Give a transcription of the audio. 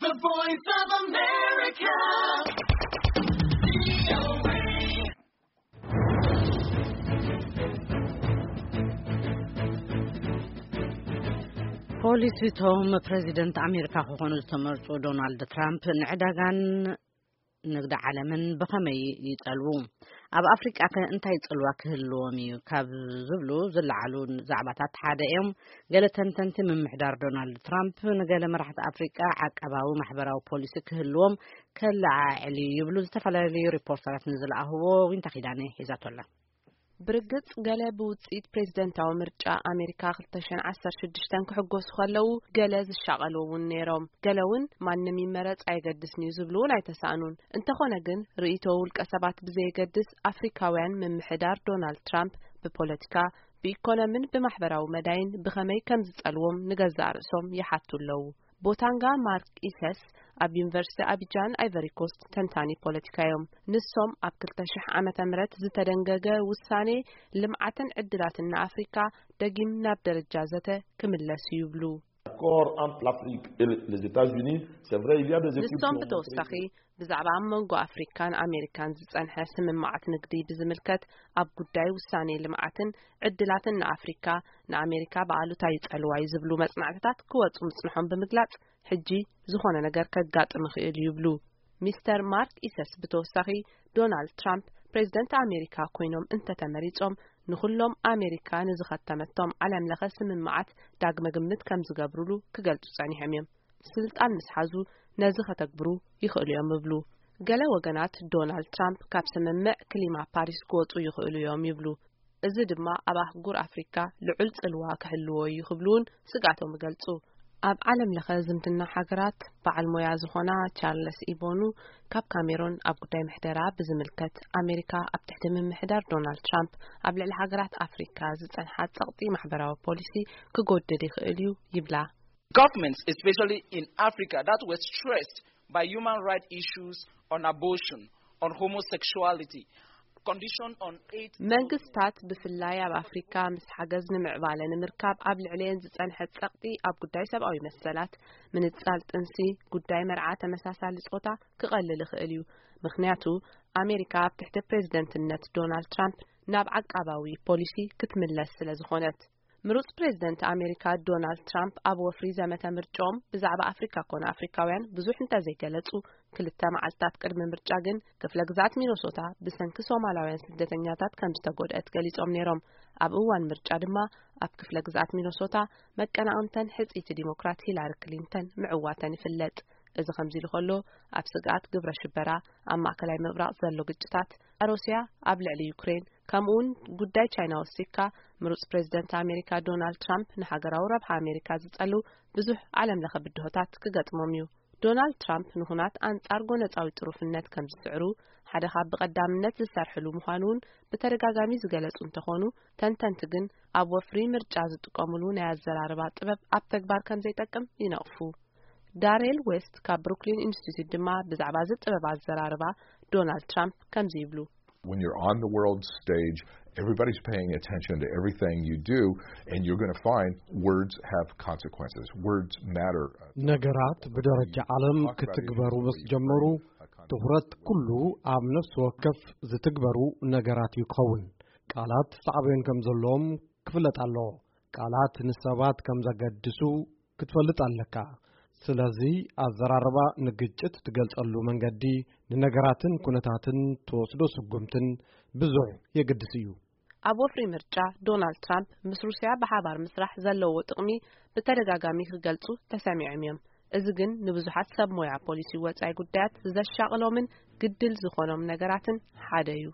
The Voice of America. ፖሊሲቶም ፕሬዚደንት ኣሜሪካ ክኾኑ ዝተመርጹ ዶናልድ ትራምፕ ንዕዳጋን ንግዲ ዓለምን ብኸመይ ይጸልዉ? ኣብ ኣፍሪቃ ከ እንታይ ጽልዋ ክህልዎም እዩ? ካብ ዝብሉ ዝለዓሉ ዛዕባታት ሓደ እዮም። ገለ ተንተንቲ፣ ምምሕዳር ዶናልድ ትራምፕ ንገለ መራሕቲ ኣፍሪቃ ዓቃባዊ ማሕበራዊ ፖሊሲ ክህልዎም ከለዓዕል እዩ ይብሉ ዝተፈላለዩ ሪፖርተራት ንዝለኣኽዎ። ዊንታ ኪዳነ ሒዛቶ ኣላ። ብርግጽ፣ ገለ ብውጽኢት ፕሬዝደንታዊ ምርጫ ኣሜሪካ ክልተ ሽሕን ዓሰርተ ሽዱሽተን ክሕጎሱ ከለዉ፣ ገለ ዝሻቐሉ እውን ነይሮም። ገለ እውን ማንም ይመረጽ ኣየገድስን እዩ ዝብሉ እውን ኣይተሳእኑን። እንተኾነ ግን፣ ርእይቶ ውልቀ ሰባት ብዘየገድስ፣ ኣፍሪካውያን ምምሕዳር ዶናልድ ትራምፕ ብፖለቲካ፣ ብኢኮኖምን ብማሕበራዊ መዳይን ብኸመይ ከም ዝጸልዎም ንገዛእ ርእሶም ይሓቱ ኣለዉ። ቦታንጋ ማርክ ኢሰስ ኣብ ዩኒቨርሲቲ ኣቢጃን ኣይቨሪ ኮስት ተንታኒ ፖለቲካ እዮም። ንሶም ኣብ ክልተ ሽሕ ዓመተ ምህረት ዝተደንገገ ውሳኔ ልምዓትን ዕድላትን ንኣፍሪካ ደጊም ናብ ደረጃ ዘተ ክምለስ እዩ ይብሉ። Accord entre l'Afrique et les États-Unis, c'est vrai, il y a des ንሶም ብተወሳኺ ብዛዕባ ኣብ መንጎ ኣፍሪካን ኣሜሪካን ዝጸንሐ ስምምዓት ንግዲ ብዝምልከት ኣብ ጉዳይ ውሳኔ ልምዓትን ዕድላትን ንኣፍሪካ ንኣሜሪካ ብኣሉታ ይጸልዋ እዩ ዝብሉ መጽናዕትታት ክወጹ ምጽንሖም ብምግላጽ፣ ሕጂ ዝኾነ ነገር ከጋጥም ይኽእል እዩ ይብሉ። ሚስተር ማርክ ኢሰስ ብተወሳኺ፣ ዶናልድ ትራምፕ ፕሬዝደንት ኣሜሪካ ኮይኖም እንተተመሪጾም፣ ንኹሎም ኣሜሪካ ንዝኸተመቶም ዓለም ለኸ ስምምዓት ዳግመ ግምት ከም ዝገብሩሉ ክገልጹ ጸኒሖም እዮም። ስልጣን ምስ ሓዙ ነዚ ከተግብሩ ይኽእሉ እዮም ይብሉ። ገለ ወገናት፣ ዶናልድ ትራምፕ ካብ ስምምዕ ክሊማ ፓሪስ ክወጹ ይኽእሉ እዮም ይብሉ። እዚ ድማ ኣብ ኣህጉር ኣፍሪካ ልዑል ጽልዋ ክህልዎ እዩ ክብሉ እውን ስግኣቶም ይገልጹ። ኣብ ዓለም ለኸ ዝምድና ሃገራት በዓል ሞያ ዝኾና ቻርለስ ኢቦኑ ካብ ካሜሮን ኣብ ጉዳይ ምሕደራ ብዝምልከት፣ ኣሜሪካ ኣብ ትሕቲ ምምሕዳር ዶናልድ ትራምፕ ኣብ ልዕሊ ሃገራት ኣፍሪካ ዝጸንሓ ጸቕጢ ማሕበራዊ ፖሊሲ ክጎድል ይኽእል እዩ ይብላ። Governments, especially in Africa, that were stressed by human rights issues on abortion, on homosexuality, condition on AIDS. መንግስታት ብፍላይ ኣብ ኣፍሪካ ምስ ሓገዝ ንምዕባለ ንምርካብ ኣብ ልዕሊኤን ዝጸንሐ ጸቕጢ ኣብ ጉዳይ ሰብኣዊ መሰላት፣ ምንጻል ጥንሲ፣ ጉዳይ መርዓ ተመሳሳሊ ጾታ ክቐልል ይኽእል እዩ። ምኽንያቱ ኣሜሪካ ኣብ ትሕቲ ፕሬዝደንትነት ዶናልድ ትራምፕ ናብ ዓቃባዊ ፖሊሲ ክትምለስ ስለ ዝኾነት። ምሩጽ ፕሬዝደንት ኣሜሪካ ዶናልድ ትራምፕ ኣብ ወፍሪ ዘመተ ምርጫኦም ብዛዕባ ኣፍሪካ ኮነ ኣፍሪካውያን ብዙሕ እንተዘይገለጹ፣ ክልተ መዓልታት ቅድሚ ምርጫ ግን ክፍለ ግዝኣት ሚነሶታ ብሰንኪ ሶማላውያን ስደተኛታት ከም ዝተጎድአት ገሊጾም ነይሮም። ኣብ እዋን ምርጫ ድማ ኣብ ክፍለ ግዝኣት ሚነሶታ መቀናቕንተን ሕጽይቲ ዲሞክራት ሂላሪ ክሊንተን ምዕዋተን ይፍለጥ። እዚ ከምዚ ኢሉ ከሎ፣ ኣብ ስግኣት ግብረ ሽበራ፣ ኣብ ማእከላይ ምብራቕ ዘሎ ግጭታት፣ ሩስያ ኣብ ልዕሊ ዩክሬን፣ ከምኡውን ጉዳይ ቻይና ወሲኽካ፣ ምሩጽ ፕሬዝደንት ኣሜሪካ ዶናልድ ትራምፕ ንሃገራዊ ረብሓ ኣሜሪካ ዝጸሉ ብዙሕ ዓለም ለኸ ብድሆታት ክገጥሞም እዩ። ዶናልድ ትራምፕ ንኹናት ኣንጻር ጎነጻዊ ጥሩፍነት ከም ዝስዕሩ፣ ሓደ ካብ ብቐዳምነት ዝሰርሕሉ ምዃኑ እውን ብተደጋጋሚ ዝገለጹ እንተኾኑ፣ ተንተንቲ ግን ኣብ ወፍሪ ምርጫ ዝጥቀሙሉ ናይ ኣዘራርባ ጥበብ ኣብ ተግባር ከም ዘይጠቅም ይነቕፉ። ዳሬል ዌስት ካብ ብሩክሊን ኢንስቲትዩት ድማ ብዛዕባ እዚ ጥበብ ኣዘራርባ ዶናልድ ትራምፕ ከምዚ ይብሉ። When you're on the world stage, everybody's paying attention to everything you do, and you're going to find words have consequences. Words matter. ነገራት ብደረጃ ዓለም ክትግበሩ ምስ ጀመሩ፣ ትኹረት ኩሉ ኣብ ነፍሲ ወከፍ ዝትግበሩ ነገራት እዩ ክኸውን። ቃላት ሳዕቤን ከም ዘለዎም ክፍለጥ ኣለዎ። ቃላት ንሰባት ከም ዘገድሱ ክትፈልጥ ኣለካ። ስለዚ ኣዘራርባ ንግጭት ትገልጸሉ መንገዲ፣ ንነገራትን ኩነታትን ትወስዶ ስጉምትን ብዙሕ የገድስ እዩ። ኣብ ወፍሪ ምርጫ ዶናልድ ትራምፕ ምስ ሩስያ ብሓባር ምስራሕ ዘለዎ ጥቕሚ ብተደጋጋሚ ክገልጹ ተሰሚዖም እዮም። እዚ ግን ንብዙሓት ሰብ ሞያ ፖሊሲ ወጻኢ ጉዳያት ዘሻቕሎምን ግድል ዝኾኖም ነገራትን ሓደ እዩ።